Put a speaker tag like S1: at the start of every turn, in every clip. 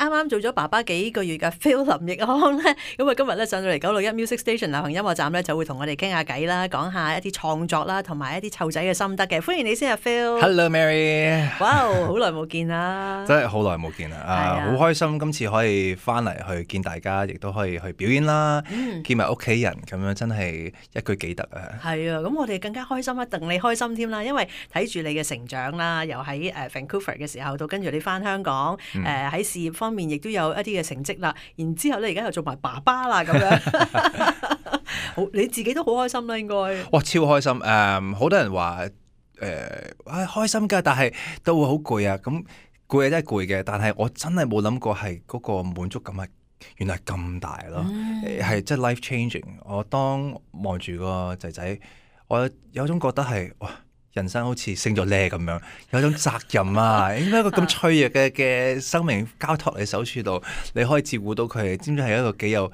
S1: 啱啱做咗爸爸幾個月嘅 Phil 林奕匡咧，咁啊今日咧上到嚟961 Music Station 流行音樂站咧，就會同我哋傾下偈啦，講下一啲創作啦，同埋一啲湊仔嘅心得嘅。歡迎你先啊
S2: Phil。Hello Mary。
S1: 哇，好耐冇見啦！
S2: 真係好耐冇見啦，好開心今次可以翻嚟去見大家，亦都可以去表演啦，見埋屋企人咁樣，真係一舉幾得啊！
S1: 係啊，咁我哋更加開心啊，戥你開心添啦，因為睇住你嘅成長啦，由喺Vancouver 嘅時候到跟住你翻香港，喺事業方面亦都有一啲嘅成績啦，然之後咧而家又做埋爸爸啦咁樣，好你自己都好開心啦應該。
S2: 哇，超開心！好多人話開心㗎，但係都會好攰啊！咁攰真係攰嘅，但係我真係冇諗過係嗰個滿足感係原來咁大咯，係真係 life changing。我當望住個仔仔，我有種覺得係哇，人生好似升咗呢咁樣，有種責任啊！應該一個咁脆弱嘅生命交託你手處度，你可以照顧到佢，知唔知係一個幾有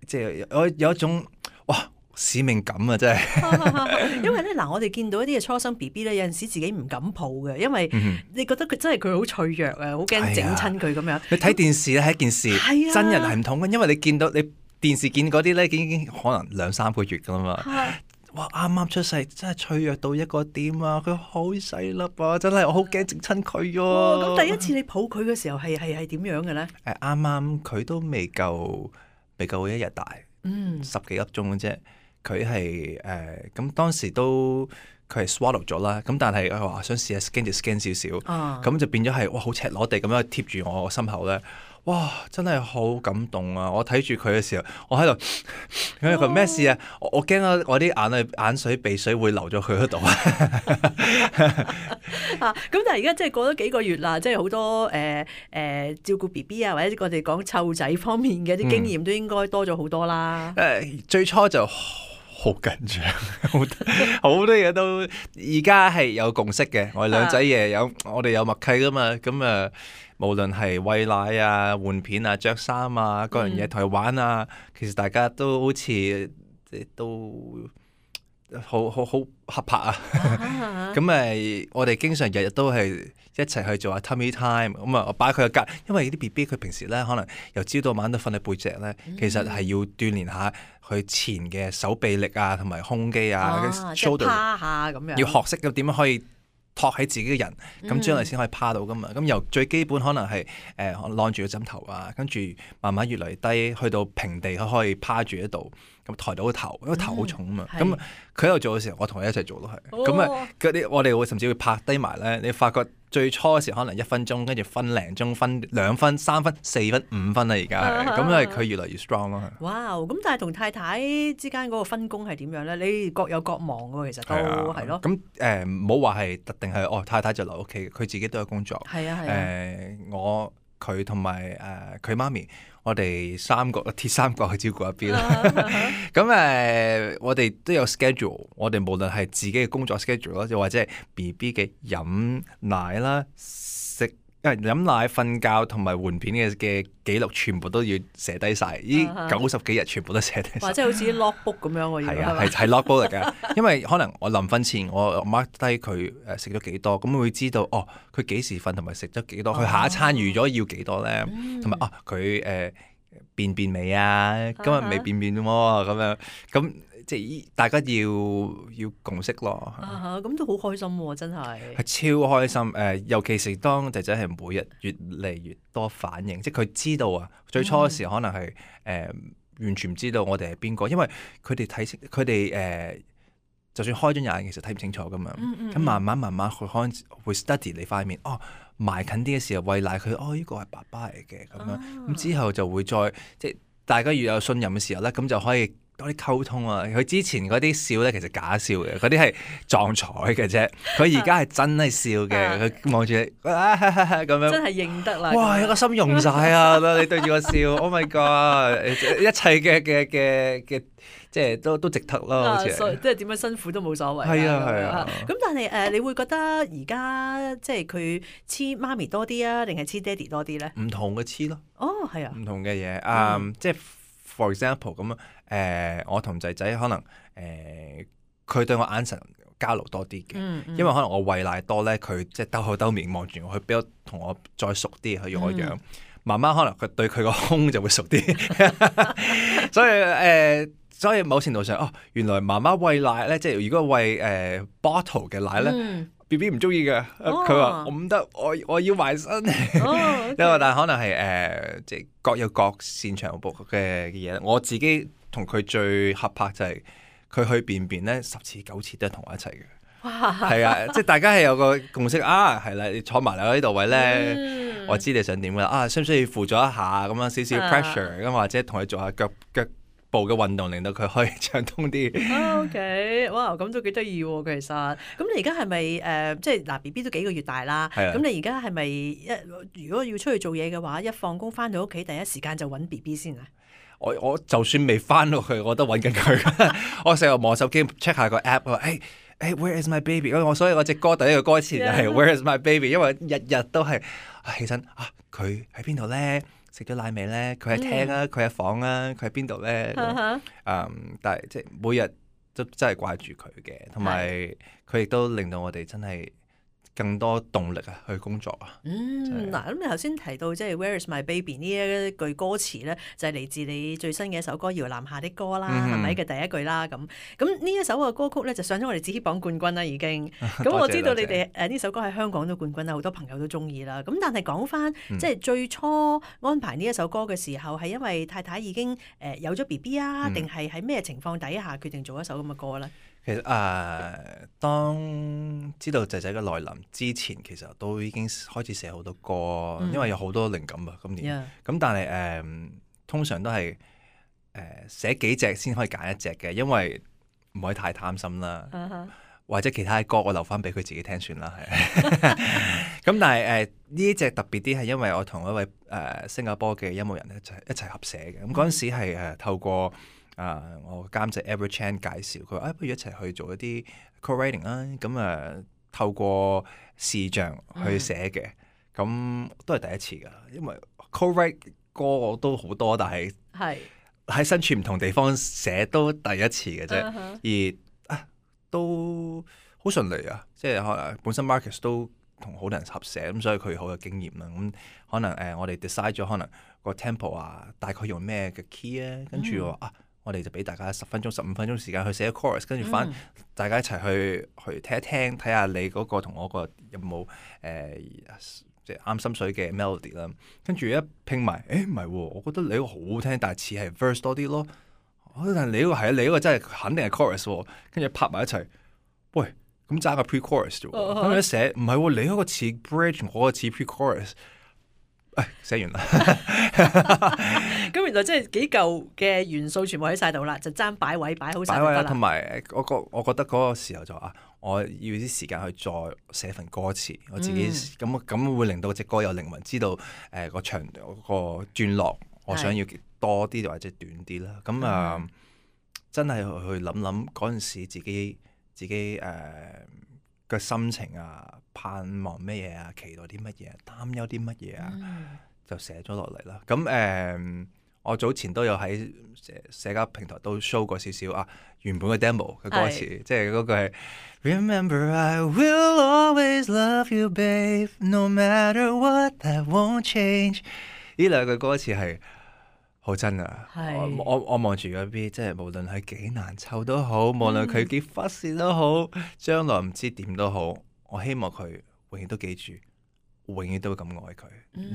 S2: 即係有一種哇使命感啊！真係，
S1: 因為咧嗱，我哋見到一啲嘅初生 BB 咧，有陣時自己唔敢抱嘅，因為你覺得佢真係佢好脆弱啊，好驚整親佢咁樣。
S2: 你睇電視咧係一件事，真人係唔同嘅，因為你見到你電視見嗰啲咧，已經可能2-3個月噶啦嘛。哇！啱啱出世，真係脆弱到一個點啊！佢好細粒啊，真係我好驚整親佢喎。
S1: 咁第一次你抱佢嘅時候係點樣嘅咧？
S2: 啱啱佢都未夠1日大，10幾粒鐘嘅啫。佢係咁當時都佢係 swallow 咗啦，咁但係佢話想試下 scan 就 scan 少少，咁就變咗係哇好赤裸地咁樣貼住我個心口咧，哇真係好感動啊！我睇住佢嘅時候，我喺度，佢話咩事啊？我驚我啲眼水鼻水會流咗佢嗰度啊！
S1: 咁但係而家即係過咗幾個月啦，即係好多照顧 BB 啊，或者我哋講湊仔方面嘅啲經驗都應該多咗好多啦。
S2: 最初就好緊張，好多嘢都而家係有共識嘅。我哋兩仔爺我哋有默契噶嘛。咁無論係餵奶啊、換片啊、着衫啊、各樣嘢同佢玩啊，其實大家都好似都好合拍啊。咁我哋經常日日都係一齊去做下 tummy time。咁我擺佢個隔，因為啲 BB 佢平時咧可能由朝到晚都瞓喺背脊咧，其實係要鍛鍊下佢前嘅手臂力啊，同埋胸肌啊，
S1: 即係趴下咁樣，
S2: 要學識咁點樣可以托起自己嘅人，咁將來先可以趴到噶嘛。咁由最基本可能係晾住個枕頭啊，跟住慢慢越嚟低，去到平地可以趴住喺度，咁抬到個頭，因為頭好重啊嘛。咁佢喺度做嘅時候，我同佢一齊做都係。咁嗰啲我哋會甚至會拍低埋咧。你發覺最初嘅時候可能1分鐘，跟住分零鐘，分2分、3分、4分、5分啦。而家係咁，因為佢越嚟越 strong 咯。
S1: 哇！咁但係同太太之間嗰個分工係點樣咧？你各有各忙喎，其實都係咯。
S2: 咁唔好話係特定係太太就留屋企，佢自己都有工作。
S1: 係啊。
S2: 佢同埋佢媽咪，我哋鐵三角去照顧一邊啦。咁我哋都有 schedule，我哋無論係自己嘅工作 schedule 啦，又或者係 BB 嘅飲奶啦、飲奶、瞓覺同埋換片嘅記錄，全部都要寫低晒。呢90幾日全部都寫低晒。
S1: 或者好似 logbook 咁樣喎。
S2: 係啊，係 logbook 嚟㗎。因為可能我臨瞓前我 mark 低佢食咗幾多，咁會知道佢幾時瞓同埋食咗幾多，佢下一餐預咗要幾多咧，同埋佢便未啊？今日未便喎，咁樣咁。即係大家要共識咯。
S1: 咁都好開心喎，真係。
S2: 係超開心尤其是當仔仔係每日越嚟越多反應，即係佢知道啊。最初嘅時候可能係完全唔知道我哋係邊個，因為佢哋就算開咗眼，其實睇唔清楚噶嘛。咁慢慢佢可能會 study 你塊面，埋近啲嘅時候餵奶佢，呢個係爸爸嚟嘅咁樣。咁之後就會再即係大家越有信任嘅時候咧，咁就可以多啲溝通啊！佢之前嗰啲笑咧，其實假笑嘅，嗰啲係撞彩嘅啫。佢而家係真係笑嘅，佢望住你咁樣，
S1: 真係認得啦！
S2: 哇！個心溶晒啊！你對住我笑，Oh my God！一切嘅即係都值得咯，好似
S1: 即係點樣辛苦都冇所謂。
S2: 係啊。
S1: 咁但係你會覺得而家即係佢黐媽咪多啲啊，定係黐爹哋多啲咧？
S2: 唔同嘅黐咯。
S1: 係啊。
S2: 唔同嘅嘢即係 for example 咁我同仔仔可能佢對我眼神交流多啲嘅，因為可能我餵奶多咧，佢即係兜口兜面望住我，佢比較同我再熟啲，佢用我樣。媽媽可能佢對佢個胸就會熟啲，所以某程度上，原來媽媽餵奶咧，即係如果餵bottle 嘅奶咧，B B 唔中意嘅，佢話我唔得，我要埋身，因為但係可能係即係各有各擅長嘅嘢。我自己同佢最合拍就係佢去便便咧10次9次都係同我一齊嘅。係啊，即係大家係有個共識啊，係啦，你坐埋嚟呢度位咧，我知你想點噶啦，需唔需要輔助一下咁樣少少 pressure 咁，或者同佢做下腳部嘅運動，令到佢可以暢通啲。
S1: OK， 哇，咁都幾得意喎，其實。咁你而家係咪即係嗱 BB 都幾個月大啦？咁你而家係咪如果要出去做嘢嘅話，一放工翻到屋企第一時間就揾 BB 先啊？
S2: 我就算未翻到去，我都揾緊佢。我成日望手機 check 下個 app， 我話Where is my baby？ 所以我隻歌第一個歌詞就係 Where is my baby？ 因為日日都係起身佢喺邊度咧？食咗奶未咧？佢喺廳啊，佢喺房啊，佢喺邊度咧？但係即係每日都真係掛住佢嘅，同埋佢亦都令到我哋真係更多動力去工作啊！
S1: 嗱，咁你頭先提到即係 Where is my baby 呢一句歌詞咧，就係嚟自你最新嘅一首歌《搖籃下的歌》啦，係咪嘅第一句啦？咁呢一首嘅歌曲咧就上咗我哋紫榜冠軍啦，已經。咁我知道你哋呢首歌喺香港都冠軍啦，好多朋友都中意啦。咁但係講翻即係最初安排呢一首歌嘅時候，係因為太太已經有咗 BB 啊，定係喺咩情況底下決定做一首咁嘅歌咧？
S2: 其實當知道仔仔嘅來臨之前，其實都已經開始寫好多歌，因為有好多靈感啊，今年。咁但係通常都係寫幾隻先可以揀一隻嘅，因為唔可以太貪心啦。或者其他嘅歌我留翻俾佢自己聽算啦，係。咁但係呢一隻特別啲係因為我同一位新加坡嘅音樂人一齊合寫嘅。咁嗰陣時係透過我監製 Edward Chan 介紹，佢話不如一齊去做一啲 co-writing 啦。咁透過視像去寫嘅，咁都係第一次噶。因為 co-write 歌我都好多，但係喺身處唔同地方寫都第一次嘅啫。而都好順利啊！即係可能本身 Marcus 都同好多人合寫，咁所以佢好有經驗啦。咁可能我哋 decide 咗可能個 tempo 大概用咩嘅 key 啊，跟住我哋就俾大家10分鐘、15分鐘時間去寫 chorus， 跟住翻大家一齊去聽一聽，睇下你嗰個同我個有冇即係啱心水嘅 melody 啦。跟住一拼埋，唔係喎，我覺得你個好好聽，但係似係 verse 多啲咯。但係你呢個係你呢個真係肯定係 chorus 喎。跟住拍埋一齊，喂，咁爭個 pre-chorus 啫喎。咁一寫唔係喎，你嗰個似 bridge，我個似 pre-chorus。寫完啦。
S1: 咁原來真係幾嚿嘅元素全部喺晒度啦，就爭擺位擺好晒就得啦。
S2: 同埋我覺得嗰個時候就我要啲時間去再寫份歌詞，我自己咁會令到隻歌有靈魂，知道個長個段落我想要多啲或者短啲啦。咁真係去諗諗嗰陣時自己嘅心情盼望咩嘢期待啲乜嘢，擔憂啲乜嘢就寫咗落嚟啦。咁我早前都有喺社交平台都 show 過少少原本嘅 demo 嘅歌詞，即係嗰句係 Remember I will always love you, babe, no matter what, that won't change。呢兩句歌詞係好真啊！我望住嗰邊，即係無論係幾難湊都好，無論佢幾忽視都好，將來唔知點都好，我希望佢永遠都記住，永遠都咁愛佢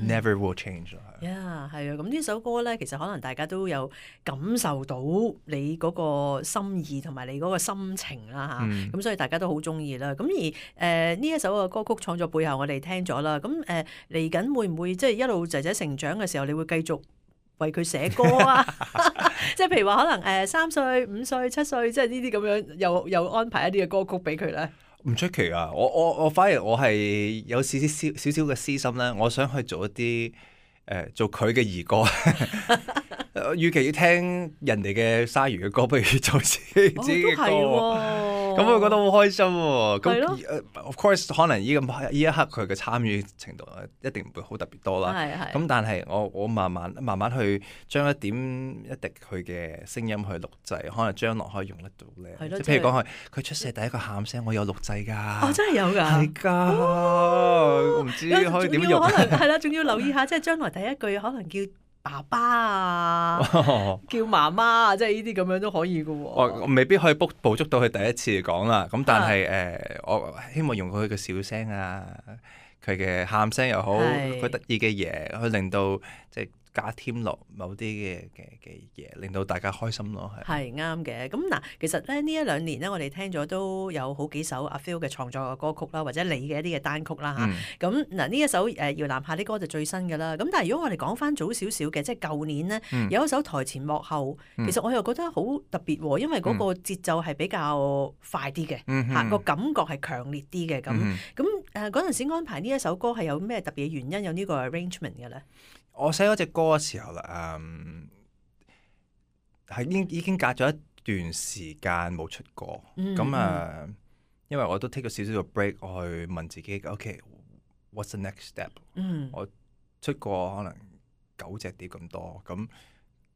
S2: ，never will change。
S1: 係啊，咁呢首歌咧，其實可能大家都有感受到你嗰個心意同埋你嗰個心情啦嚇，咁所以大家都好中意啦。咁而呢一首嘅歌曲創作背後，我哋聽咗啦。咁嚟緊會唔會即係一路仔仔成長嘅時候，你會繼續為佢寫歌啊？即係譬如話可能3歲、5歲、7歲，即係呢啲咁樣，又安排一啲嘅歌曲俾佢咧。
S2: 唔出奇啊！我反而我係有少少嘅私心咧，我想去做一啲做佢嘅兒歌。與其要聽人哋嘅鯊魚嘅歌，不如做自己嘅歌。咁我覺得好開心喎。
S1: 係咯
S2: 咁of course 可能呢一刻佢嘅參與程度一定唔會好特別多啦。咁但係我慢慢去將一點一滴佢嘅聲音去錄製，可能將來可以用得到咧。即係譬如講佢出世第一個喊聲，我有錄製㗎。
S1: 哦，真係有㗎。
S2: 係㗎，我唔知可以點用。
S1: 可能係啦，仲要留意下，即係將來第一句可能叫爸爸啊，叫媽媽啊，即係呢啲咁樣都可以嘅喎。
S2: 我未必可以捕捉到佢第一次講啦，咁但係我希望用佢嘅笑聲啊，佢嘅喊聲又好，佢得意嘅嘢，去令到即係加添落某啲嘅嘢，令到大家開心咯。
S1: 係啱嘅。咁嗱，其實咧呢一兩年咧，我哋聽咗都有好幾首阿 Phil 嘅創作嘅歌曲啦，或者你嘅一啲嘅單曲啦嚇。咁嗱呢一首搖籃下啲歌就最新嘅啦。咁但係如果我哋講翻早少少嘅，即係舊年呢，有一首台前幕後，其實我又覺得好特別喎，因為嗰個節奏係比較快啲嘅嚇，個感覺係強烈啲嘅咁。咁嗰陣時安排呢一首歌係有咩特別嘅原因有呢個 arrangement 嘅咧？
S2: 我寫嗰隻歌嘅時候啦，係已經隔咗一段時間冇出歌，咁因為我都 take 咗少少個 break，我去問自己，OK，what's the next step？我出過可能9隻碟咁多，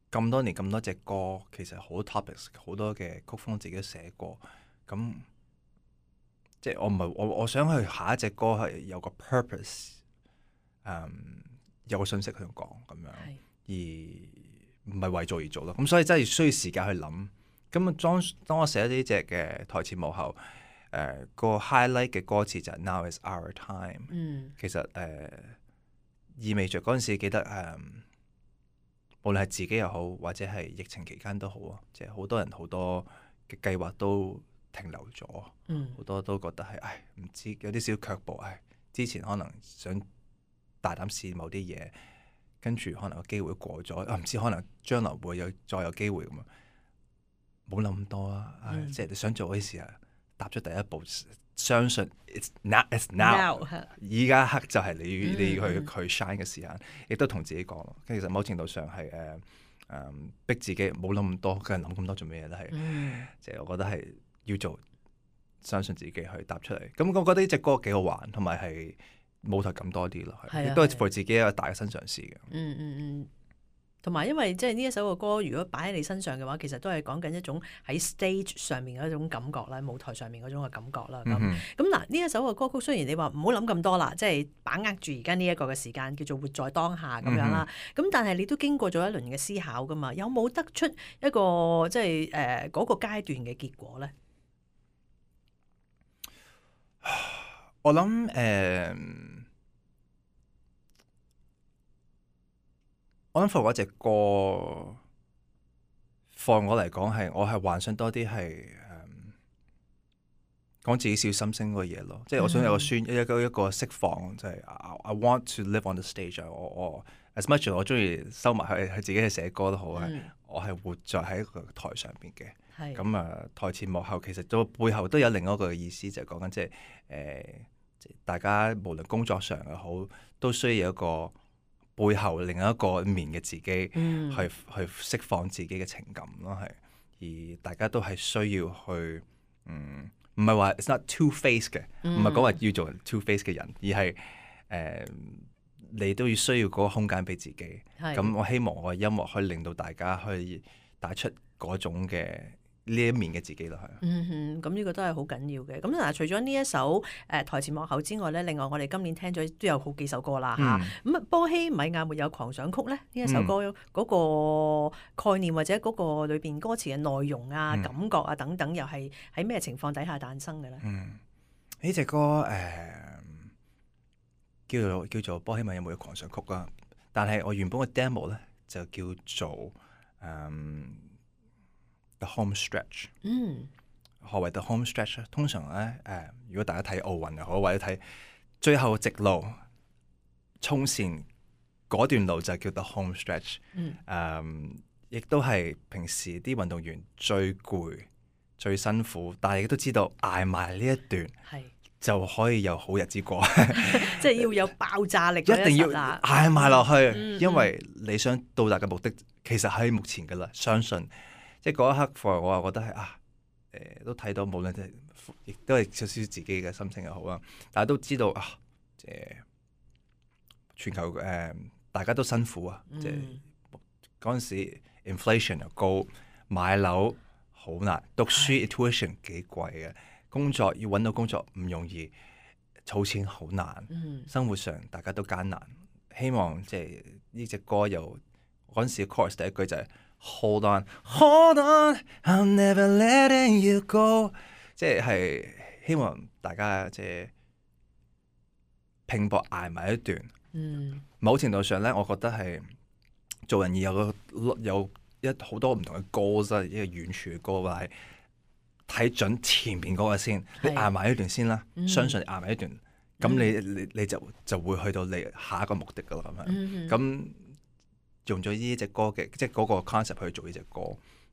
S2: 咁多年咁多隻歌，其實好多 topics， 好多嘅曲風自己都寫過，咁即係我唔係我想去下一隻歌係有個 purpose，有個信息去講咁樣，而唔係為做而做咯。咁所以真係需要時間去諗。咁當我寫呢隻嘅台前幕後，個 highlight 嘅歌詞就係 Now is our time。其實意味着嗰陣時記得無論係自己又好，或者係疫情期間都好啊，即係好多人好多嘅計劃都停留咗，好多都覺得係唔知有啲少卻步，之前可能想大膽試某啲嘢，跟住可能個機會過咗，唔知可能將來會再有機會咁啊！冇諗咁多啊，即係你想做嗰啲事啊，踏出第一步，相信 it's now， 依家刻就係你去 shine 嘅時間，亦都同自己講咯。其實某程度上係逼自己冇諗咁多，梗係諗咁多做咩嘢都係，即係我覺得係要做，相信自己去踏出嚟。咁我覺得呢隻歌幾好玩，同埋係舞台感多啲咯，亦都係 for 自己一個大嘅新嘗試嘅。
S1: 同埋因為即係呢一首嘅歌，如果擺喺你身上嘅話，其實都係講緊一種喺 stage 上面嘅一種感覺啦，舞台上面嗰種嘅感覺啦。咁嗱，呢一首嘅歌曲雖然你話唔好諗咁多啦，即係把握住而家呢一個嘅時間，叫做活在當下咁樣啦。咁但係你都經過咗一輪嘅思考噶嘛，有冇得出一個即係嗰個階段嘅結果咧？
S2: 我諗for 嗰隻歌，for 我嚟講我係幻想多啲係講自己小心聲嗰個嘢咯，即係我想有一個釋放，就係 I want to live on the stage。我 as much 我中意收埋去自己去寫歌都好，我係活在喺個台上邊嘅。咁台前幕後其實都背後都有另一個意思，就係講緊即係大家無論工作上又好，都需要有一個背後另一個面嘅自己，去釋放自己嘅情感咯，係。而大家都係需要去，唔係話 it's not two face 嘅，唔係講話要做 two face 嘅人，而係你都要需要嗰個空間俾自己。咁我希望我嘅音樂可以令到大家去帶出嗰種嘅呢一面嘅自己咯，係。
S1: 咁呢個都係好緊要嘅。咁嗱，除咗呢一首台前幕後之外咧，另外我哋今年聽咗都有好幾首歌啦嚇。咁波希米亞沒有狂想曲咧，呢一首歌嗰個概念或者嗰個裏邊歌詞嘅內容啊、感覺啊等等，又係喺咩情況底下誕生嘅咧？
S2: 呢隻歌叫做波希米亞沒有狂想曲啦，但係我原本嘅 demo 咧就叫做The home stretch。何謂 the home stretch 咧？通常咧如果大家睇奧運又好，或者睇最後直路衝線嗰段路就叫 the home stretch。亦都係平時啲運動員最攰、最辛苦，但係亦都知道捱埋呢一段就可以有好日子過。
S1: 即係要有爆炸力，
S2: 一定要捱埋落去，因為你想到達嘅目的其實喺目前㗎啦。相信即係嗰一刻，我又覺得係都睇到，無論係亦都係少少自己嘅心情又好啦，但係都知道啊，全球大家都辛苦啊，即係嗰陣時 inflation 又高，買樓好難，讀書 tuition 幾貴嘅，工作要揾到工作唔容易，儲錢好難，生活上大家都艱難。希望即係呢隻歌又嗰陣時 chorus 第一句就係 Hold on, hold on, I'm never letting you go， 即係希望大家即係拼搏捱埋一段。某程度上咧，我覺得係做人要有好多唔同嘅 goals 啦，一個遠處嘅 goal，但係睇準前面嗰個先，你捱埋一段先啦，相信你捱埋一段，咁你就會去到你下一個目的噶啦咁樣。咁用咗呢隻歌嘅，即係嗰個 concept 去做呢隻歌。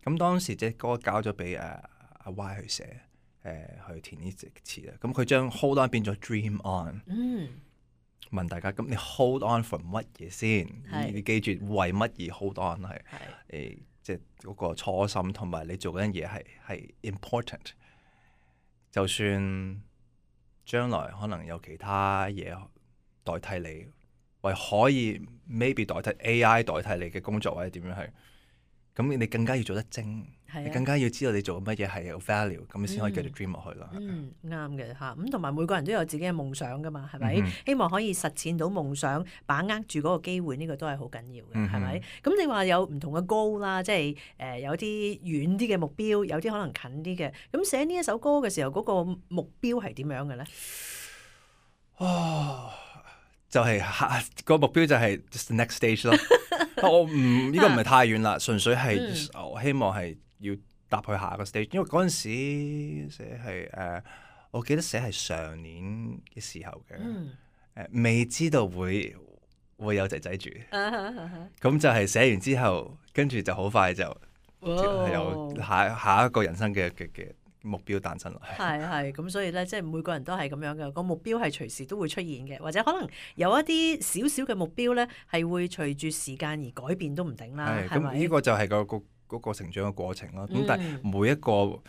S2: 咁當時隻歌交咗俾阿 Y 去寫，去填呢隻詞啦。咁佢將 Hold On 變咗 Dream On。問大家咁你 hold on for 乜嘢先？你記住為乜而 hold on 係即係嗰個初心，同埋你做嗰樣嘢係 important。就算將來可能有其他嘢代替你，或可以 maybe 代替 AI 代替你嘅工作或者點樣係，咁你更加要做得精。你更加要知道你做乜嘢係有 value， 咁你先可以繼續 dream 落去啦。
S1: 啱嘅嚇，咁同埋每個人都有自己嘅夢想噶嘛，係咪？希望可以實踐到夢想，把握住嗰個機會，呢個都係好緊要嘅，係咪？咁你話有唔同嘅 goal 啦，即係有啲遠啲嘅目標，有啲可能近啲嘅。咁寫呢一首歌嘅時候，嗰個目標係點樣嘅咧？
S2: 就係個目標就係 just next stage 咯。我呢個唔係太遠啦，純粹係我希望係要踏去下個 stage，因為嗰陣時寫係我記得寫係上年嘅時候嘅，未知道會有仔仔住，咁就係寫完之後，跟住就好快就有下一個人生嘅目標誕生啦。
S1: 係咁，所以咧，即係每個人都係咁樣嘅，個目標係隨時都會出現嘅，或者可能有一啲少少嘅目標咧，係會隨住時間而改變都唔定啦。係咪？
S2: 咁呢個就係嗰個成長嘅過程咯。咁但係每一個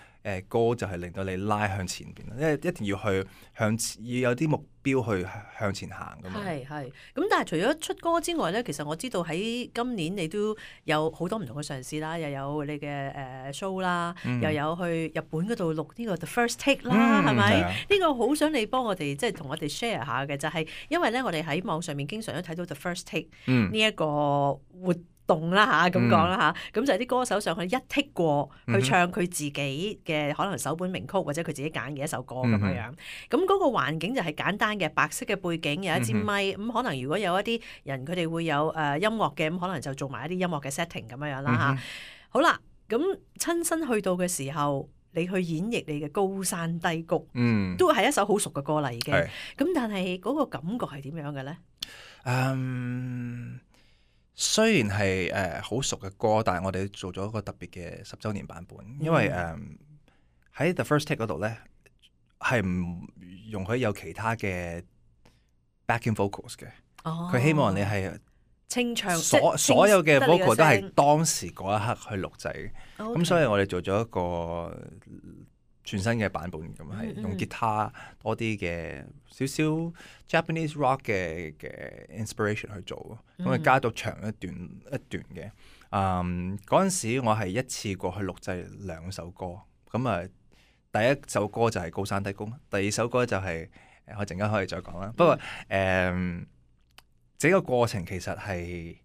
S2: 歌就係令到你拉向前邊，因為一定要去要有啲目標去向前行㗎嘛。係。
S1: 咁但係除咗出歌之外咧，其實我知道喺今年你都有好多唔同嘅嘗試啦，又有你嘅show 啦，又有去日本嗰度錄呢個 The First Take 啦，係咪？呢個好想你幫我哋即係同我哋 share 下嘅，就係因為咧我哋喺網上面經常都睇到 The First Take 呢一個活動啦嚇，咁講啦嚇，咁就係啲歌手上去一剔過去唱佢自己嘅可能首本名曲或者佢自己揀嘅一首歌咁樣。咁嗰個環境就係簡單嘅白色嘅背景，有一支咪，咁可能如果有一啲人佢哋會有音樂嘅，咁可能就做埋一啲音樂嘅 setting 咁樣啦嚇。好啦，咁親身去到嘅時候，你去演繹你嘅高山低谷，都係一首好熟嘅歌啦已經。咁但係嗰個感覺係點樣嘅咧？
S2: 雖然係好熟嘅歌，但係我哋做咗一個特別嘅10週年版本，因為喺 The First Take 嗰度咧係唔容許有其他嘅 backing vocals 嘅。佢希望你係
S1: 清唱，
S2: 所有嘅 vocal 都係當時嗰一刻去錄製。咁所以我哋做咗一個全新嘅版本，咁係用吉他多啲嘅少少 Japanese rock 嘅 inspiration 去做，咁啊加到長一段嘅。嗰陣時我係一次過去錄製2首歌，咁啊第一首歌就係高山低谷，第二首歌就係我陣間可以再講啦。不過整個過程其實係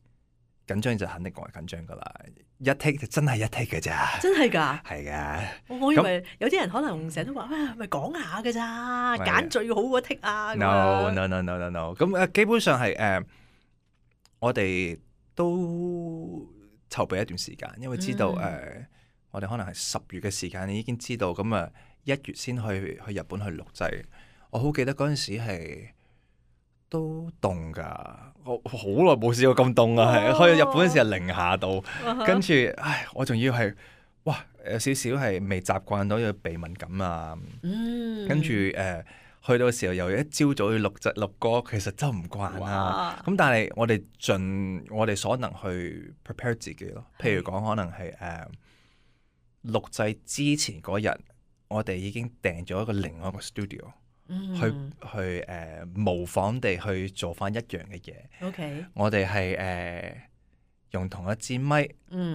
S2: 緊張，就肯定講係緊張噶啦。一 take 就真係一 take 嘅咋，
S1: 真係㗎，
S2: 係㗎。
S1: 我以為有啲人可能成日都話，喂，咪講下㗎咋，揀最好嗰 take 啊。
S2: No。咁基本上係我哋都籌備一段時間，因為知道我哋可能係10月嘅時間，你已經知道，咁1月先去日本去錄製。我好記得嗰陣時係都凍㗎，我好耐冇試過咁凍啊！係去日本嗰時係零下度，跟住我仲要係有少少係未習慣到，要鼻敏感啊。跟住去到嘅時候又一朝早要錄歌，其實真唔慣啦。咁但係我哋盡我哋所能去 prepare 自己咯。譬如講可能係錄製之前嗰日我哋已經訂咗另外一個 studio，去模仿地去做翻一樣嘅嘢。
S1: OK，
S2: 我哋係用同一支咪，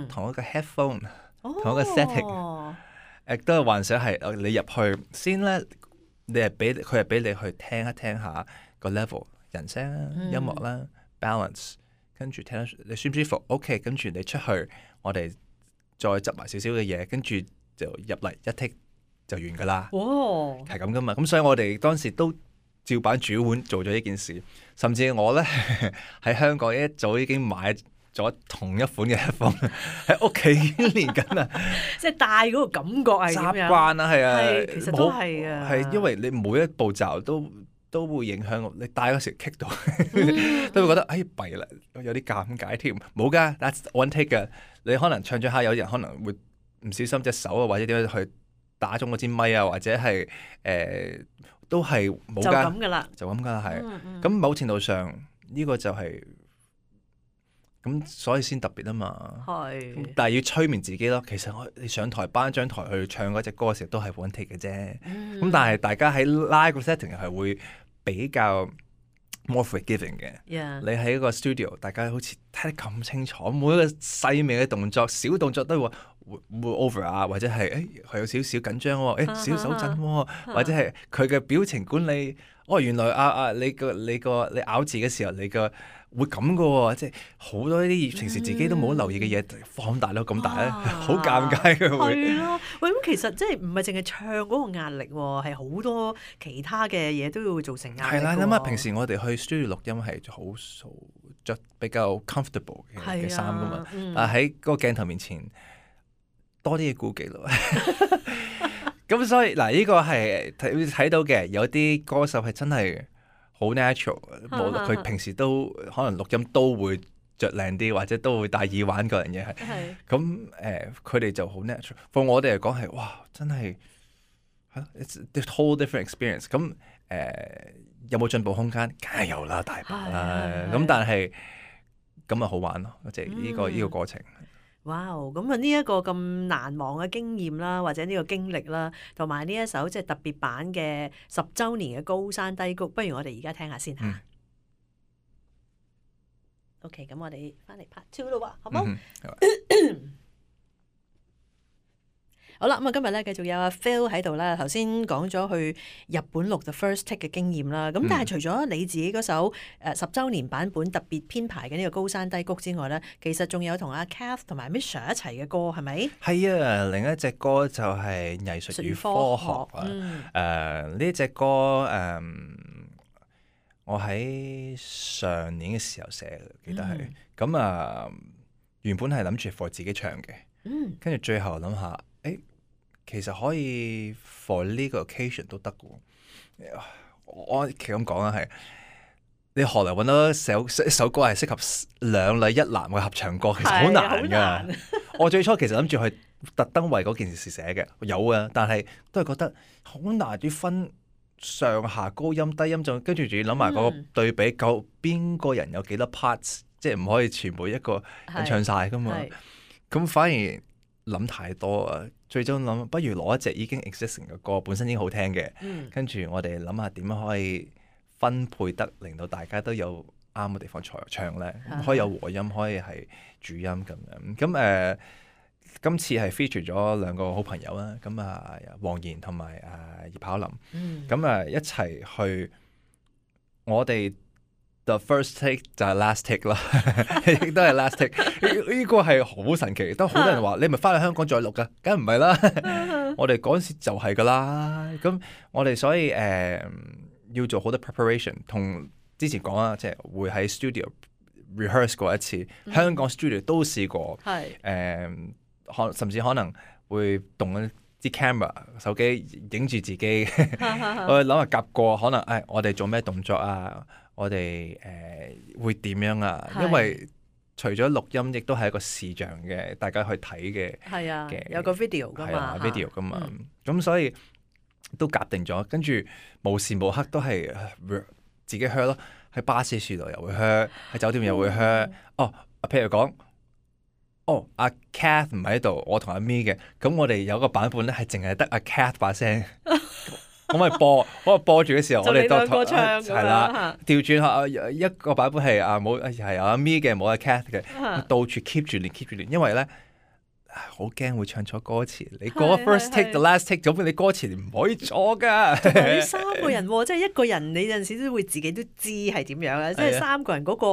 S2: 同一個 headphone，同一個 setting，都係幻想係你入去先咧，佢係俾你去聽一聽下個 level 人聲啦、音樂啦、balance， 跟住聽你舒唔舒服 ，OK， 跟住你出去，我哋再執埋少少嘅嘢，跟住就入嚟一 take 就完噶啦。係咁噶嘛，咁所以我哋當時都照版煮碗做咗呢件事，甚至我咧喺香港一早已經買咗同一款嘅 headphone 喺屋企練緊啊！
S1: 即係戴嗰個感覺係點樣？
S2: 習慣啊，係啊，
S1: 其實都係啊，
S2: 係因為你每一步驟都會影響我，你戴嗰時棘到，都會覺得弊啦，有啲尷尬添。冇㗎 ，that's one take 㗎。你可能唱咗下，有人可能會唔小心隻手啊，或者點樣去打中嗰支咪啊，或者係都係冇㗎，就咁㗎啦，係。咁某程度上呢個就係咁，所以先特別啊嘛。但係要催眠自己咯。其實你上台頒獎台去唱嗰隻歌嘅時候都係 one take 嘅啫。咁但係大家喺 live 個 setting 係會比較 more forgiving 嘅。你喺一個 studio， 大家好似睇得咁清楚，每一個細微嘅動作、小動作都會 over 啊，或者係佢有少少緊張喎，少手震喎，或者係佢嘅表情管理。原來你咬字嘅時候，你個會咁嘅喎，即係好多呢啲平時自己都冇留意嘅嘢放大到咁大咧，好尷尬嘅會。
S1: 係咯，喂，咁其實即係唔係淨係唱嗰個壓力喎，係好多其他嘅嘢都會造成壓力。
S2: 係啦，諗下平時我哋去 studio 錄音係好着比較 comfortable 嘅衫噶嘛，但係喺嗰個鏡頭面前多啲嘢顧忌咯。咁所以嗱，呢個係睇到嘅，有啲歌手係真係好 natural， 無論佢平時都可能錄音都會着靚啲，或者都會戴耳環嗰樣嘢係。咁佢哋就好 natural。對我哋嚟講係哇，真係 it's a whole different experience。咁有冇進步空間？梗係有啦，大把啦。咁但係咁啊好玩咯，即係呢個過程。
S1: 哇！咁啊呢一個咁難忘嘅經驗啦，或者呢個經歷啦，同埋呢一首即係特別版嘅10週年嘅高山低谷，不如我哋而家聽下先嚇。OK， 咁我哋翻嚟 part 2咯喎，好冇？好啦，咁啊今日咧繼續有阿 Phil 喺度啦。頭先講咗去日本錄 The First Take 嘅經驗啦。咁但係除咗你自己嗰首10週年版本特別編排嘅呢個高山低谷之外咧，其實仲有同阿 Kath 同埋 Misha 一齊嘅歌係咪？
S2: 係啊，另一隻歌就係藝術與科學啊。呢隻歌我喺上年嘅時候寫嘅，記得係。咁原本係諗住 for 自己唱嘅，跟住最後諗下，其實可以 for 呢個 occasion 都得嘅。我其實咁講啊，係你何來揾到一首歌係適合兩女一男嘅合唱歌？其實好難㗎。我最初其實諗住去特登為嗰件事寫嘅，有啊，但係都係覺得好難啲分上下高音低音，跟住仲要諗埋嗰個對比，夠邊個人有幾多 parts， 即係唔可以全部一個人唱晒㗎嘛。咁反而諗太多啊！最終諗，不如攞一隻已經 existing 嘅歌，本身已經好聽嘅，跟住我哋諗下點樣可以分配得令到大家都有啱嘅地方唱咧，可以有和音，可以係主音咁樣。咁今次係 feature 咗兩個好朋友啦，咁黃妍同埋葉巧琳，咁一齊去我哋。The first take 就係 last take 啦，亦都係 last take。呢個係好神奇，都好多人話你咪翻去香港再錄噶，梗唔係啦。我哋嗰陣時就係噶啦。咁我哋所以要做好多 preparation， 同之前講啦，即係會喺 studio rehearse 過一次，香港 studio 都試過。甚至可能會動一啲 camera 手機影住自己，我諗下夾過，可能我哋做咩動作啊？我哋會點樣啊？因為除咗錄音，亦都係一個視像嘅，大家去睇嘅。係啊，
S1: 有個 video 噶嘛
S2: ，video 噶嘛。咁所以都夾定咗，跟住無時無刻都係自己 hear 咯。喺巴士樹度又會 hear，喺酒店又會 hear。譬如講阿 Kath 唔喺度，我同阿 Mi 嘅，咁我哋有個版本咧係淨係得阿 Kath 把聲，我咪播住嘅時候，我哋
S1: 兩個唱
S2: 係啦，調轉下一個版本係冇係有阿 Mi 嘅，冇阿 Kath 嘅，到處 keep 住練，因為咧好驚會唱錯歌詞。你嗰個 first take the last take，咁你歌詞唔可以錯噶。
S1: 同埋你三個人喎，即係一個人你有陣時都會自己都知係點樣嘅，即係三個人嗰個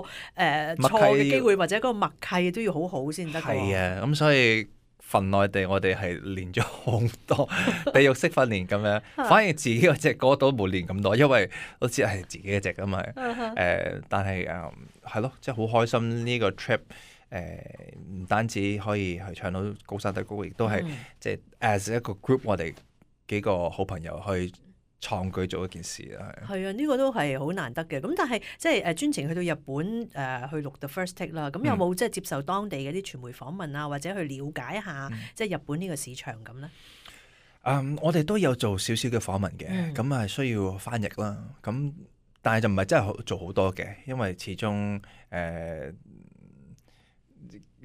S1: 錯嘅機會或者嗰個默契都要好好先得。
S2: 係啊，咁所以份內地我哋係練咗好多地獄式訓練咁樣，反而自己嗰隻歌都冇練咁多，因為都知係自己嘅隻噶嘛。但係係咯，即係好開心呢個 trip。唔單止可以去唱到高山低谷，亦都係即係 as 一個 group， 我哋幾個好朋友去創舉做一件事啊。
S1: 係啊，呢個都係好難得嘅。咁但係即係專程去到日本去錄 The First Take 啦。咁有冇即係接受當地嘅啲傳媒訪問啊，或者去了解一下即係日本呢個市場咁咧？
S2: 我哋都有做少少嘅訪問嘅，咁係需要翻譯啦。咁但係就唔係真係做好多嘅，因為始終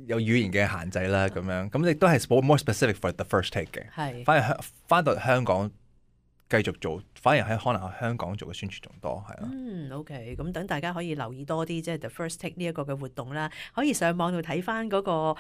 S2: 有語言嘅限制啦，咁樣咁亦都係 more specific for the first take 嘅。係，翻到香港繼續做，反而喺可能喺香港做嘅宣傳仲多，係咯。
S1: OK， 咁等大家可以留意多啲，即係 the first take 呢一個嘅活動啦，可以上網度睇翻嗰個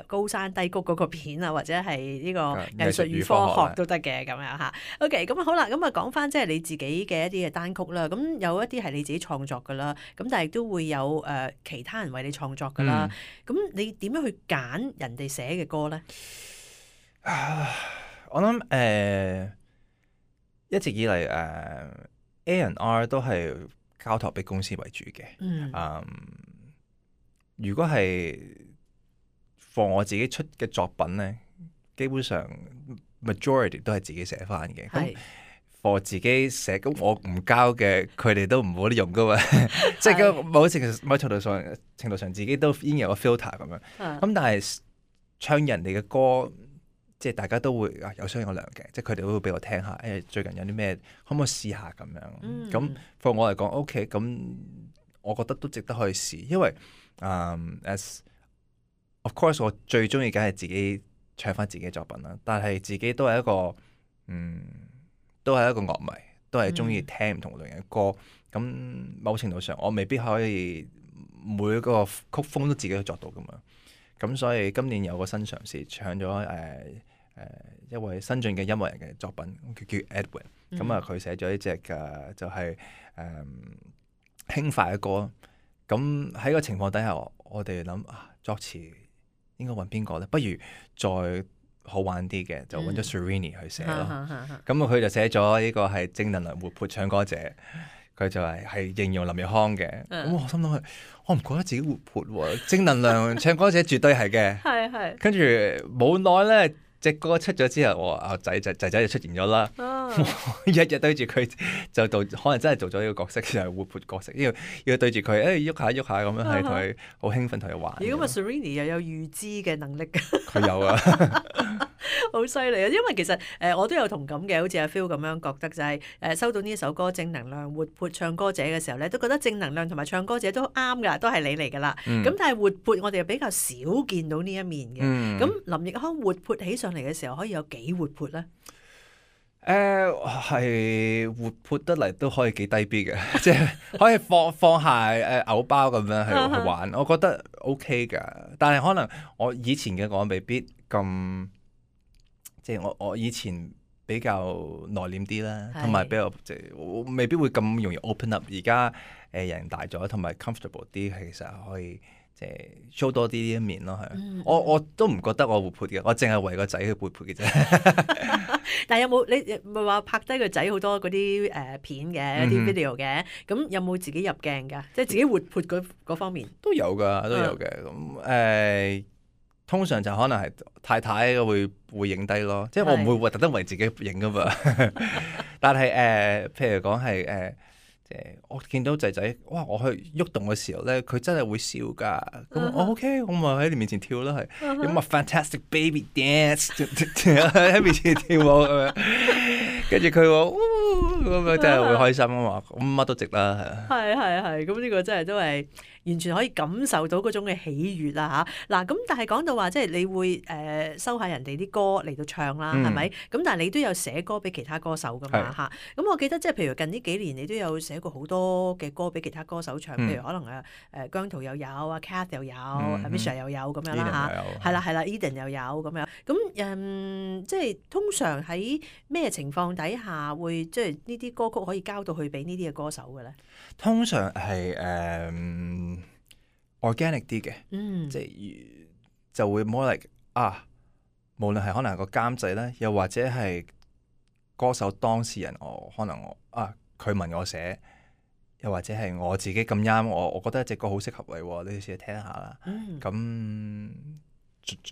S1: 高山低谷嗰個片啊，或者係呢個藝術與科學都得嘅咁樣嚇。OK，咁好啦，咁啊講翻即係你自己嘅一啲嘅單曲啦，咁有一啲係你自己創作噶啦，咁但係都會有其他人為你創作噶啦，咁你點樣去揀人哋寫嘅歌咧？
S2: 我諗一直以嚟A&R 都係交託俾公司為主嘅。如果係 for 我自己出嘅作品咧，基本上 majority 都係自己寫翻嘅。咁 for 自己寫，咁我唔交嘅，佢哋都唔好用噶嘛。即係某程度上自己都已經有個 filter 咁樣。咁但係唱人哋嘅歌，即係大家都會有商有量嘅，即係佢哋都會俾我聽下，最近有啲咩可唔可以試下咁樣？咁 for 我嚟講 OK， 咁我覺得都值得可以試，因為as of course 我最中意梗係自己唱翻自己嘅作品啦，但係自己都係一個都係一個樂迷，都係中意聽唔同類型嘅歌。咁某程度上我未必可以每一個曲風都自己去作到噶嘛。咁所以今年有個新嘗試，唱咗一位新晉嘅音樂人嘅作品，佢叫 Edwin。咁佢寫咗一隻嘅就係輕快嘅歌。咁喺個情況底下，我哋諗作詞應該揾邊個咧？不如再好玩啲嘅，就揾咗 Serrini 去寫咯。咁佢就寫咗呢個係正能量活潑唱歌者。佢就係形容林奕匡嘅，咁我心諗我唔覺得自己活潑喎，正能量唱歌者絕對係嘅。係。跟住冇耐咧，隻歌出咗之後，我仔就出現咗啦。日日對住佢就可能真係做咗呢個角色，就係活潑角色，要對住佢，喐下咁樣，係同佢好興奮，同佢玩。
S1: 如果 Serrini 又有預知嘅能力，
S2: 佢有啊。
S1: 好犀利啊！因為其實我都有同感嘅，好似阿 Phil 咁樣覺得就係收到呢一首歌正能量活潑唱歌者嘅時候咧，都覺得正能量同埋唱歌者都啱噶，都係你嚟噶啦。咁但係活潑我哋又比較少見到呢一面嘅。咁林奕匡活潑起上嚟嘅時候，可以有幾活潑咧？
S2: 係活潑得嚟都可以幾低 B 嘅，即係可以放下偶包咁樣去玩，我覺得 OK 噶。但係可能我以前嘅我未必咁。即係我以前比較內斂啲啦，同埋比較我未必會咁容易 open up。而家人大咗，同埋 comfortable 啲，其實可以即係 show 多啲呢一面咯。係我都唔覺得我活潑嘅，我淨係為個仔去活潑嘅啫。
S1: 但係有冇你唔係話拍低個仔好多嗰啲片嘅一啲 video 嘅？咁有冇自己入鏡㗎？即係自己活潑嗰方面
S2: 都有㗎，都有嘅。咁通常就可能係太太會影低咯，即係我唔會特登為自己影噶嘛。但係譬如講係我見到仔仔，哇！我去喐動嘅時候咧，佢真係會笑㗎。咁我 OK，我咪喺你面前跳啦，係咁啊 fantastic baby dance 喺面前跳舞咁樣。跟住佢話咁樣真係會開心啊嘛，咁乜都值啦，
S1: 係係，咁呢個真係都係完全可以感受到嗰種嘅喜悅啦嚇。嗱咁但係講到話即係你會收下人哋啲歌嚟到唱啦，係咪？咁但係你都有寫歌俾其他歌手噶嘛嚇。咁我記得即係譬如近呢幾年你都有寫過好多嘅歌俾其他歌手唱，譬如可能姜濤又有啊 Kath 又有Misha 又有咁樣啦嚇。係啦 Eden 又有咁樣。咁即係通常喺咩情況底下會即係呢啲歌曲可以交到去俾呢啲嘅歌手嘅咧？
S2: 通常係organic 啲嘅，即係就會 more like 無論係可能係個監製咧，又或者係歌手當事人，可能佢問我寫，又或者係我自己咁啱，我覺得隻歌好適合你，你試下聽下啦。咁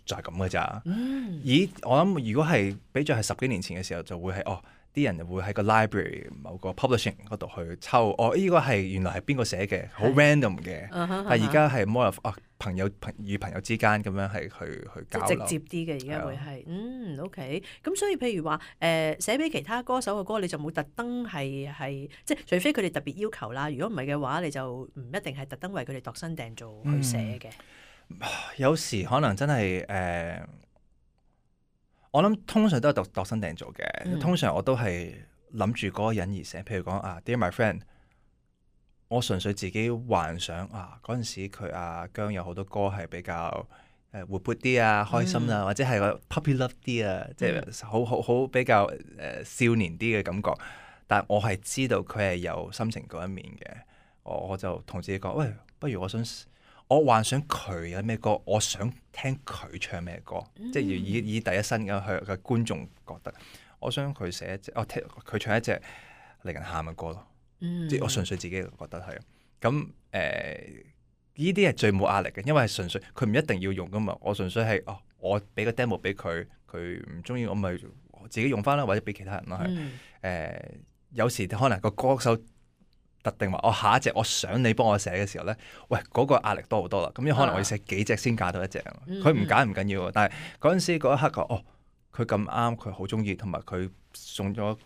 S2: 就係咁嘅咋。咦，我諗如果係比咗係10幾年前嘅時候，就會係啲人會喺個 library 某個 publishing 嗰度去抽，呢個係原來係邊個寫嘅，好 random 嘅。但係而家係 more of 朋友與朋友之間咁樣係去交流，
S1: 直接啲嘅而家會係OK。咁所以譬如話寫俾其他歌手嘅歌，你就冇特登係即係除非佢哋特別要求啦。如果唔係嘅話，你就唔一定係特登為佢哋度身訂造去寫嘅。
S2: 有時可能真係我諗通常都係度身訂造嘅。通常我都係諗住嗰個人而寫，譬如講Dear My Friend， 我純粹自己幻想嗰陣時佢姜有好多歌係比較活潑啲開心或者係個 puppy love 啲即係好比較少年啲嘅感覺。但係我係知道佢係有心情嗰一面嘅，我就同自己講，喂，不如我幻想佢有咩歌，我想聽佢唱咩歌，即係以第一身嘅觀眾覺得，我想佢寫一隻，佢唱一隻令人喊嘅歌咯。即係我純粹自己覺得係。咁呢啲係最冇壓力嘅，因為係純粹佢唔一定要用噶嘛。我純粹係我俾個 demo 俾佢，佢唔中意我咪自己用翻啦，或者俾其他人咯係。有時可能個歌手特定話下一隻我想你幫我寫嘅時候咧，喂嗰個壓力多好多啦。咁可能我要寫幾隻先揀到一隻，佢唔揀唔緊要，但係嗰陣時嗰一刻佢咁啱，佢好中意，同埋佢送咗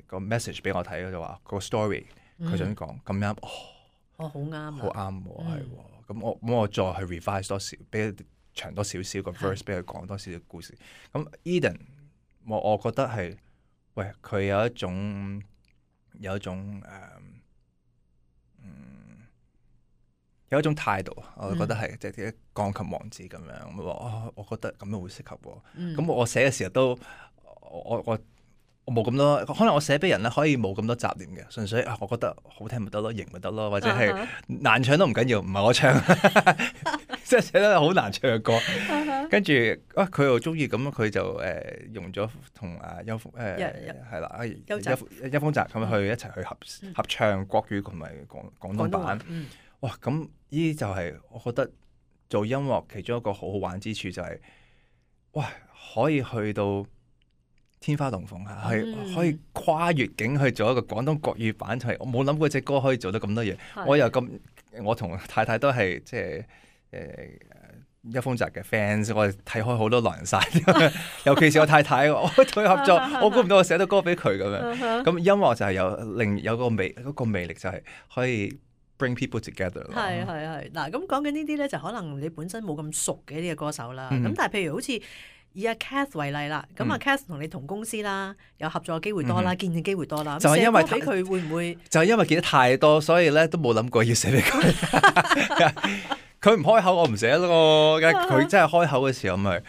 S2: 個 message 俾我睇，就話個 story 佢想講咁啱，
S1: 好啱，
S2: 好啱喎，係喎。咁我再去 revise 多少，俾佢長多少少個 verse， 俾佢講多少少故事。咁 Eden 我覺得係，喂佢有一種有一種態度，我覺得係即係啲鋼琴王子咁樣。我覺得咁樣會適合喎。咁我寫嘅時候都我冇咁多，可能我寫俾人咧可以冇咁多雜念嘅，純粹我覺得好聽咪得咯，型咪得咯，或者係難唱都唔緊要，唔係我唱，即係寫得好難唱嘅歌。跟住佢又中意咁，佢就用咗同邱係啦，邱鋒澤咁去一齊去合唱國語同埋廣東版。哇！咁呢啲就係我覺得做音樂其中一個好好玩之處，就係哇可以去到天花龍鳳係可以跨越境去做一個廣東國語版，就係我冇諗過隻歌可以做得咁多嘢。我同太太都係即係邱鋒澤嘅 fans， 我哋睇開好多狼人殺，尤其是我太太，我同佢合作，我估唔到我寫到歌俾佢咁樣。咁音樂就係有個魅力，就係可以 bring people together 咯。
S1: 係嗱，咁講緊呢啲咧，就可能你本身冇咁熟嘅呢個歌手啦。咁但係譬如好似以阿 Kath 為例啦，咁阿 Kath 同你同公司啦，有合作嘅機會多啦，見嘅機會多啦。就係因為俾佢會唔會？
S2: 就係因為見得太多，所以咧都冇諗過要寫俾佢。佢唔開口，我唔寫咯。佢真係開口嘅時候，咪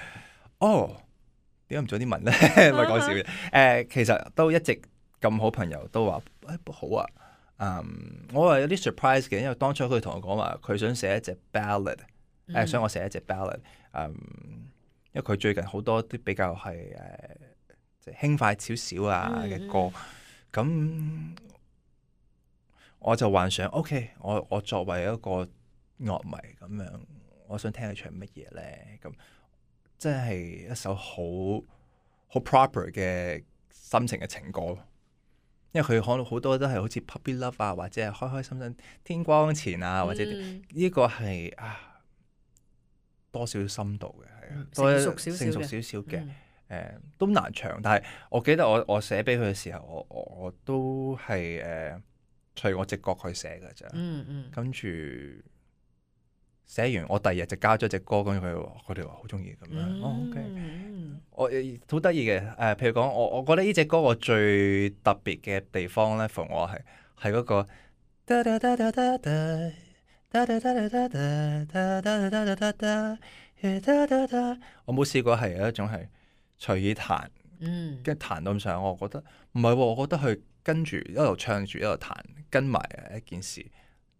S2: 點解唔早啲問咧？咪講笑嘅。其實都一直咁好朋友都話好啊。我係有啲 surprise 嘅，因為當初佢同我講話，佢想寫一隻 ballad， 想我寫一隻 ballad。因為佢最近好多啲比較係即係輕快少少嘅歌，咁我就幻想 OK， 我作為一個樂迷咁樣，我想聽佢唱乜嘢咧？咁即係一首好 proper 嘅心情嘅情歌，因為佢可能好多都係好似 puppy love 或者係開開心心天光前或者呢個係多少深度嘅，係多成熟少少嘅。都難唱。但係我記得我寫俾佢嘅時候，我都係隨我直覺去寫㗎咋。跟住寫完，我第二日就交咗隻歌，跟住佢哋話好中意咁樣。OK，我好得意嘅。譬如講，我覺得呢隻歌我最特別嘅地方咧，同我係嗰個。我冇試過係有一種係隨意彈，跟住彈到咁上，我覺得唔係喎，我覺得佢跟住一路唱住一路彈，跟埋一件事。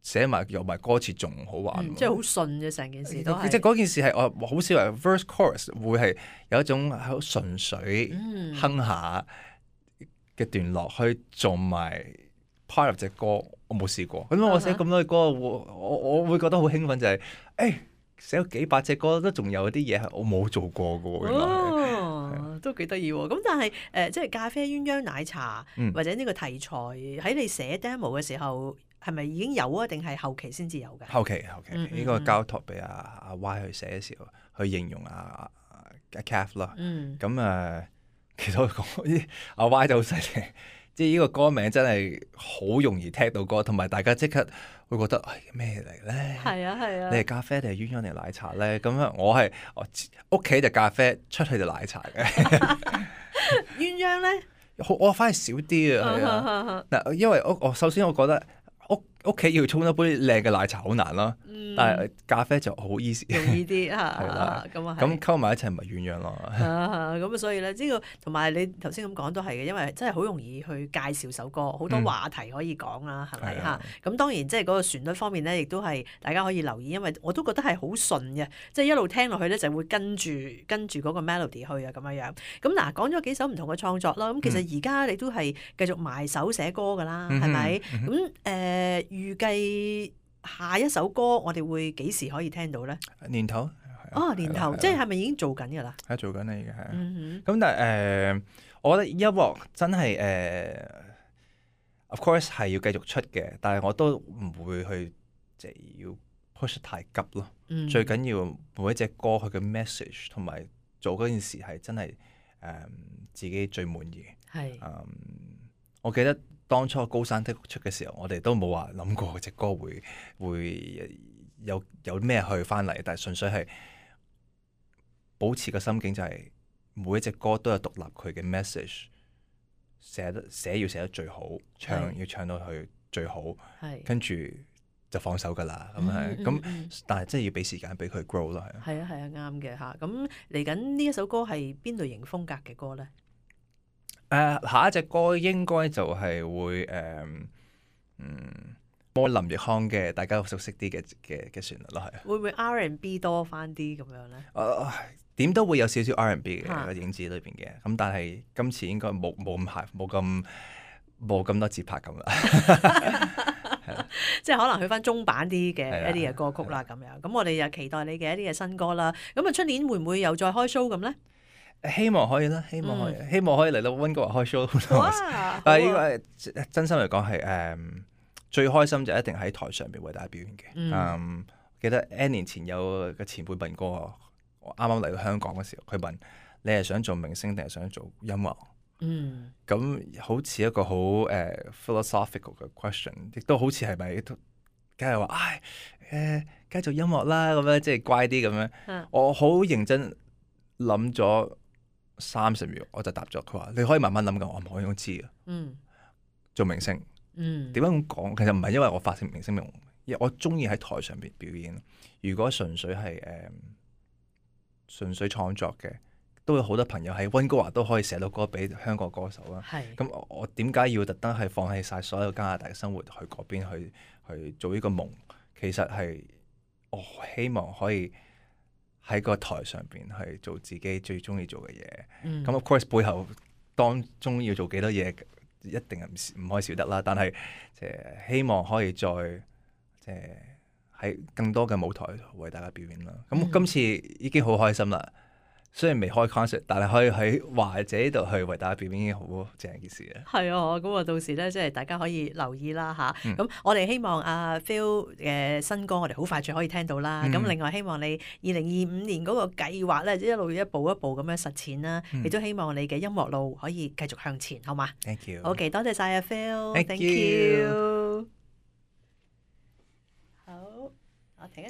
S2: 寫埋有埋歌詞仲好玩，
S1: 即係好順嘅成件事都係。
S2: 即係嗰件事係我好少話 verse chorus 會係有一種好純粹哼下嘅段落去做埋 part of 隻歌，我冇試過。咁我寫咁多嘅歌，我會覺得好興奮，就係寫咗幾百隻歌都仲有啲嘢係我冇做過嘅。原來
S1: 都幾得意喎。咁但係即係咖啡鴛鴦奶茶或者呢個題材喺你寫 demo 嘅時候。係咪已經有啊？定係後期先至有嘅？
S2: 後期呢個交託俾阿 Y 去寫嘅時候，去形容阿 Cath 啦。咁其實我講阿 Y 就好犀利，即係呢個歌名真係好容易聽到歌，同埋大家即刻會覺得咩嚟咧？係啊！你係咖啡定係鴛鴦定係奶茶咧？咁我屋企就咖啡，出去就奶茶嘅。
S1: 鴛鴦咧，
S2: 我反而少啲啊。嗱，因為我首先我覺得。屋企要沖一杯靚嘅奶茶好難啦，但係咖啡就好 easy，
S1: 容易啲嚇。
S2: 係啦，
S1: 咁
S2: 咁溝埋一齊咪鴛鴦咯。
S1: 咁所以咧，呢個同埋你頭先咁講都係嘅，因為真係好容易去介紹首歌，好多話題可以講啦，係咪嚇？咁當然即係嗰個旋律方面咧，亦都係大家可以留意，因為我都覺得係好順嘅，即係一路聽落去咧就會跟住嗰個 melody 去啊咁樣。咁嗱，講咗幾首唔同嘅創作啦，咁其實而家你都係繼續埋手寫歌㗎啦，係咪？咁預計下一首歌我哋會幾時可以聽到咧？
S2: 年頭
S1: 年頭即係咪已經做緊㗎啦？
S2: 係做緊啦，已經係。咁但係我覺得音樂真係of course 係要繼續出嘅，但係我都唔會去即係要 push 太急咯。最緊要每一隻歌佢嘅 message 同埋做嗰件事係真係自己最滿意。係我記得。當初高山的出嘅時候，我哋都冇話諗過隻歌會有咩去翻嚟，但係純粹係保持個心境，就係每一隻歌都有獨立佢嘅 message， 寫要寫得最好，唱要唱到去最好，跟住就放手㗎啦。咁但係真係要俾時間俾佢 grow 咯。係啊，
S1: 啱嘅嚇。咁嚟緊呢一首歌係邊類型風格嘅歌咧？
S2: 下一隻歌應該就係會播林奕匡嘅，大家熟悉啲嘅旋律咯，係。會
S1: 唔會 R&B 多翻啲咁樣咧？
S2: 點都會有少少 R&B 嘅影子裏邊嘅，咁但係今次應該冇咁多節拍咁啦。
S1: 即係可能去翻中版啲嘅一啲嘅歌曲啦，咁樣。咁我哋又期待你嘅一啲嘅新歌啦。咁啊，出年會唔會又再開 show 咁咧？
S2: 希望可以啦，希望可以嚟到溫哥華開 show。但係呢個真心嚟講係最開心就一定喺台上邊為大家表演嘅。記得 N 年前有個前輩問過我，啱啱嚟到香港嘅時候，佢問你係想做明星定係想做音樂？咁好似一個好philosophical 嘅 question， 亦都好似係咪梗係話梗係做音樂啦，咁樣即係乖啲咁樣。我好認真諗咗30秒，我就答咗佢話：你可以慢慢諗㗎，我唔可以咁知嘅。做明星，點解咁講？其實唔係因為我發成明星夢，因為我中意喺台上邊表演。如果純粹係純粹創作嘅，都有好多朋友喺溫哥華都可以寫到歌俾香港歌手啦。咁我點解要特登係放棄晒所有加拿大嘅生活去嗰邊去做呢個夢？其實係我希望可以喺個台上邊去做自己最中意做嘅嘢，咁 of course 背後當中要做幾多嘢，一定係唔可以少得啦。但係希望可以再喺更多嘅舞台為大家表演啦。咁今次已經好開心啦，雖然未開 concert，但係可以喺華姐度去為大家表演已經好正一件事啊！
S1: 係啊，咁啊到時咧，即係大家可以留意啦嚇。
S2: 嗯
S1: 咁我哋希望阿 Phil 嘅新歌，我哋好快就可以聽到啦。咁另外希望你2025年嗰個計劃咧，一路一步一步咁樣實踐啦。亦都希望你嘅音樂路可以繼續向前，好嘛
S2: Thank you。
S1: OK，多謝晒阿 Phil，Thank
S2: you
S1: you。好，我停一。